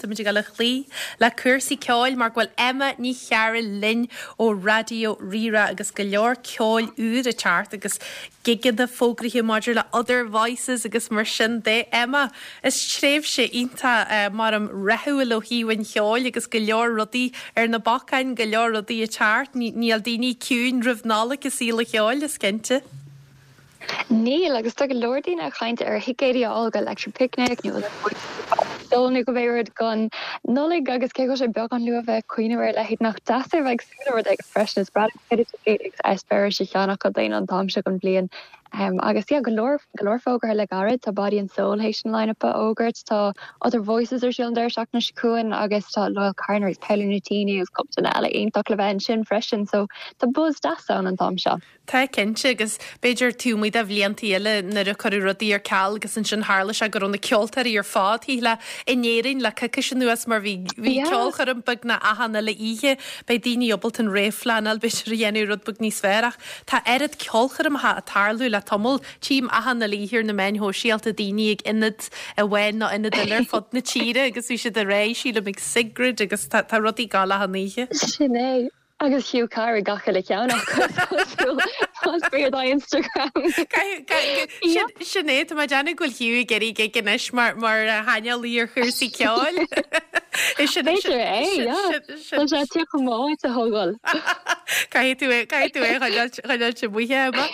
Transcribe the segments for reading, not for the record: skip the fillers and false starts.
táimid ag dul a chloí le cúrsaí ceoil mar go bhfuil Emma Ní Chearúil linn ó Raidió Rí-Rá agus go leor ceoil úr ag teacht agus gigeanna fógraithe maidir le Other Voices agus mar sin de. Emma, is tréimhse iontach maram rathúil ó thaobh an cheoil agus go leor rudaí ar na bacáin, go leor rudaí ag teacht. Níl daoine ciúin roimh Nollaig i saol an cheoil, is cinnte. Níl, agus tá go leor daoine ag caint ar thicéidí a fháil go Electric Picnic nó dóigh nó go mbeidh rud don Nollaig agus cé go bhfuil sé beagán luath bheith ag cuimhneamh ar a leithéid nach deas é bheith ag súil le rud éigin freisin. Is breá liom cuid ticéid agus eispéiris a cheannach do dhaoine an t-am seo den bhliain. Agus yeah, go leor, go leor fógartha le gairid. Tá Body and Soul théis an line-up a fhógairt, tá Other Voices ar siúl an deireadh seachtaine seo chugainn agus tá Loyle Carner agus Paolo Nutini agus cúpla duine eile iontach le bheith ansin freisin. So tá buzz deas ann an t-am seo. Tá, cinnte, agus b'fhéidir taobh amuigh de bhliantaí eile nuair a cuireadh rudaí ar ceal agus ansin tharla sé go raibh na ceoltóirí ar fad thíos le in Éirinn le coicís anuas mar bhí bhí ceolchoirm beagnach achan uile oíche. Beidh daoine ábalta an réamhphleanáil b'fhéidir a dhéanamh rud beag níos fearr ach tá oiread ceolchoirmeacha ag tarlú le tamall. Tchím achan uile oíche ar na meáin shóisialta daoine ag ionad amháin nó ionad eile ar fud na tíre agus bhí siad ag rá, sílim ag Sigrid agus tá tá rudaí ag gabháil achan oíche. Sin é. Agus Hugh Carr ag gach uile cheann acu, is cosúil, más fíor do Instagram. Sin é, tá mé ag déanamh go bhfuil Hugh ag iarraidh gig anois mar mar shaineolaí ar chúrsaí ceoil. B'fhéidir é, yeah. Tá sé ag tíocht chomh maith a thógáil. Caithfidh tú é, caithfidh tú é a choinneáilt amuigh, Emma.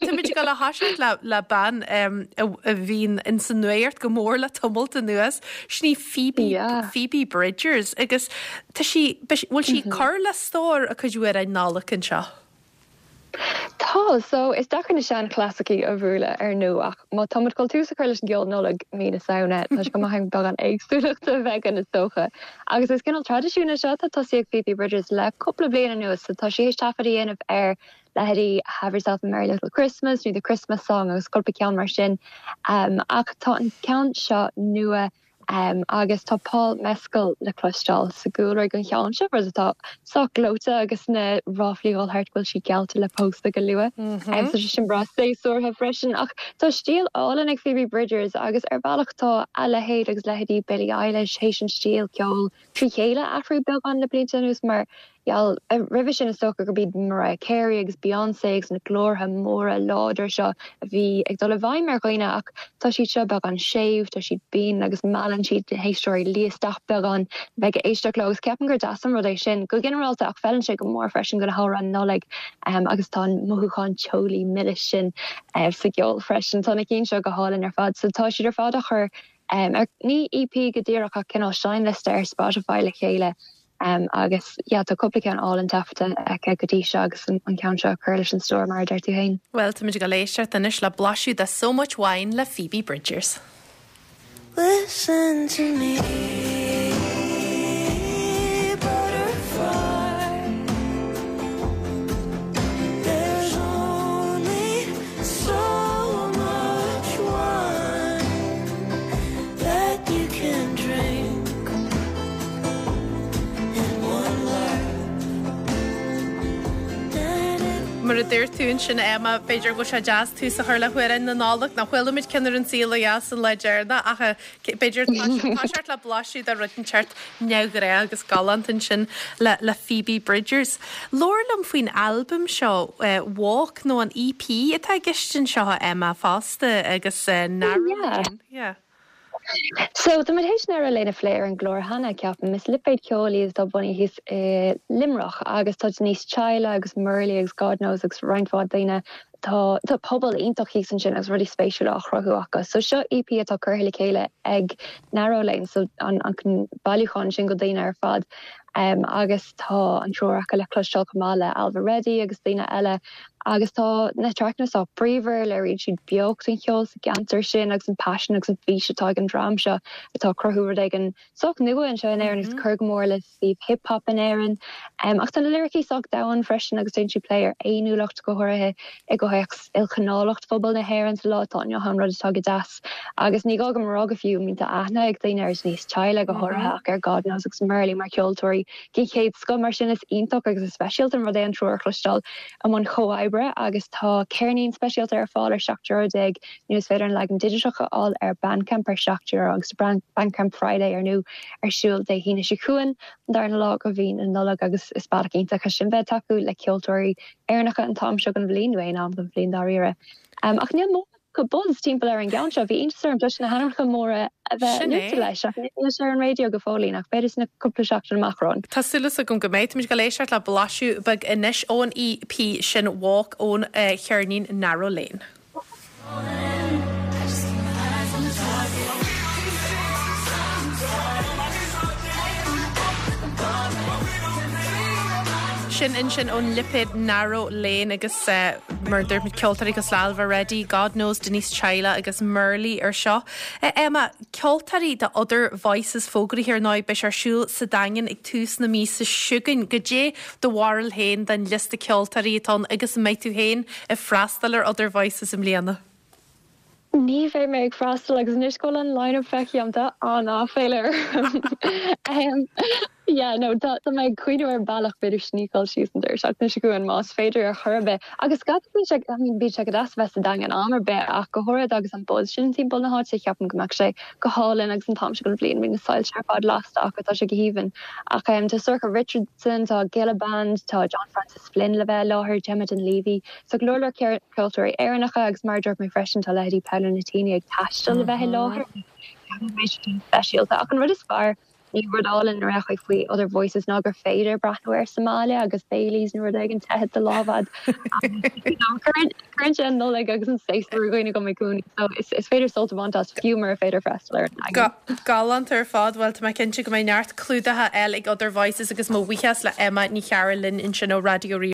Táimid ag dul a thoiseacht le le bean a bhíonn ins an nuacht go mór le tamalt anuas. Sin í Phoebe, Phoebe Bridgers agus tá sí, bhfuil sí ag cur le stór a cuid amhráin Nollag anseo? Tá, so is deacair na seanchlasaicí a bhualadh ar ndóigh ach má tá muid ag dul tús a chur leis an gceol Nollag mí na Samhna tá sé go maith againn beagán éagsúlachta a bheith againn is dócha. Agus is cineál traidisiún é seo atá tosaithe ag Phoebe Bridgers le cúpla bliain anuas so tá sí théis taifead a dhéanamh ar leithéidí Have Yourself a Merry Little Christmas nó The Christmas Song agus cúpla ceann mar sin. Ach tá an ceann seo nua agus tá Paul Mescal le cloisteáil sa gcúlra ag an cheann seo, rud atá sách gleoite agus na ráflaí ag dul thart go bhfuil sí geallta le pósadh go luath. So tá sé sin breá séasúrtha freisin. Ach tá stíl álainn ag Phoebe Bridgers agus ar bhealach tá a leithéid agus leithéidí Billie Eilish théis an stíl ceoil trí chéile a athrú beagán le blianta anuas mar gheall, roimhe sin is dócha gurb iad Mariah Carey agus Beyoncé agus na glórtha móra láidre seo a bhí ag dul i bhfeidhm ar dhaoine ach tá siad seo beagán séimh, tá siad binn agus meallann siad na héisteoirí luí isteach beagán le bheith ag éisteacht leo agus ceapaim gur deas an rud é sin go ginearálta ach feileann sé go mór freisin do na hamhráin Nollag agus tá an mothúchán teolaí milis sin sa gceol freisin. Tá na cinn seo go hálainn ar fad so tá siad ar fad á chur ar, ní EP go díreach ach cineál seinnliosta ar Spotify le chéile agus yeah tá cúpla ceann álainn taifeadta aici go dtí seo agus an ceann seo ag cur leis an stór mar a deir tú féin. Bhuel, táimid ag dul éisteacht anois le blaiseadh de So Much Wine le Phoebe Bridgers. Listen to me, butterfly There's only so much wine that you can drink in one life. Mar a dúirt tú ansin, Emma, b'fhéidir go bhfuil sé deas tús a chur le hamhráin na Nollag, nó chuala muid ceann ar An Saol Ó Dheas an lá deireanach ach B'fhéidir toiseacht le blaiseadh de rud inteacht neamhghnách agus galánta ansin le le Phoebe Bridgers. Labhair liom faoin albam seo, Walk, nó an EP atá i gceist anseo, a Emma, fosta agus Narrow Lane. Yeah. So, tá muid théis Narrow Lane a phlé ar an gclár cheana, ceapaim. Is lipéad ceoil iad atá bunaithe thíos i Luimneach agus tá Denise Chaila agus Murley agus God Knows agus roinnt mhaith daoine Tá tá pobal iontach thíos ansin agus rudaí spéisiúla á chruthú acu. So seo EP atá curtha le chéile ag Narrow Lane, so an an bailiúchán sin de dhaoine ar fad. Um, agus tá an triúr acu le cloisteáil chomh maith le Ailbhe Reddy agus daoine eile. Agus tá na traiceanna sách bríomhar, léiríonn siad beocht an cheoil sa gceantar sin agus an paisean agus an fhís atá ag an dream seo atá ag cruthú rud éigin sách nua anseo in Éirinn agus ag cur go mór le suíomh hip hop in Éirinn. Ach tá na liricí sách domhain freisin agus déanann siad plé ar fhéiniúlacht, go háirithe i gcomhthéacs ilchineálacht phobal na hÉireann sa lá atá inniu ann, rud atá go deas. Agus ní gá dom a rá go fiú, I mean tá aithne ag daoine ar Denise Chaila go háirithe ach ar God Knows agus Murley mar cheoltóirí den chéad scoth mar sin is iontach agus is speisialta an rud é an triúr a chloisteáil i mbun comhoibre. oibre agus tá ceirnín speisialta ar fáil ar €17 nó is féidir an leagan digiteach a fháil ar Bandcamp ar €7 agus tá Bandcamp Friday ar ndóigh ar siúl Dé hAoine seo chugainn, an darna lá de mhí na Nollag agus is bealach iontach é sin bheith ag tacú le ceoltóirí Éireannacha an t-am seo den bhliain nó aon am den bhliain dáiríre. Ach níl mórán buzz timpeall ar an gceann seo. Bhí iontas orm cloisteáil na hainmneacha móra a bheith luaite leis ach níl sé ar an raidió go fóillín ach b'fhéidir sna cúpla seachtain amach romhainn. Tá súil agam go mbeidh. Táimid ag dul éisteacht le blaiseadh beag anois ón EP sin Walk ón cheirnín Narrow Lane. Sin ansin ón lipéad Narrow Lane agus mar a dúirt muid ceoltóirí cosúil le Ailbhe Reddy, God Knows, Denise Chaila agus Murley ar seo. Emma, ceoltóirí do Other Voices fógraithe ar ndóigh, beidh sé ar siúl sa Daingean ag tús na míosa seo chugainn. Goidé do bharúil féin den liosta ceoltóirí atá ann agus an mbeidh tú féin ag freastal ar Other Voices i mbliana? Ní bheidh mé ag freastal agus anois go bhfuil an line-up feicthe agam tá an-áiféala orm. Yeah no tá tá mé ag cuimhneamh ar bealach b'fhéidir sneakáil síos an deireadh seachtaine seo chugainn más féidir ar chor ar bith. Agus scaití bíonn sé I mean bíonn sé go deas a bheith sa Daingean am ar bith ach go háirithe agus an buzz sin timpeall na háite ceapaim go mbeadh sé go hálainn agus an t-am seo den bhliain bíonn na soilse ar fad lasta acu tá sé go haoibhinn. Ach tá Sorcha Richardson, tá Gilla Band, tá John Francis Flynn le bheith i láthair, Gemma Dunleavy, So go leor leor ceoltóirí Éireannacha agus mar a dúirt mé freisin tá leithéidí Paolo Nutini ag taisteal le bheith i láthair. Ceapaim go mbeidh sé sin speisialta. Ach an rud is fearr, nó rud álainn a rachaidh faoi Other Voices ná gur féidir breathnú air sa mbaile agus Baileys nó rud éigin te i do lámh agat. Cuireann sé an Nollaig agus an séasúr i gcuimhne dom i gcónaí. So is féidir sult a bhaint as fiú mura féidir freastal ar an Daingean. Galánta ar fad. Bhuel tá mé cinnte go mbeidh neart clúdaithe eile ag Other Voices agus mo bhuíochas le Emma Ní Chearúil linn ansin ó Raidió Rí.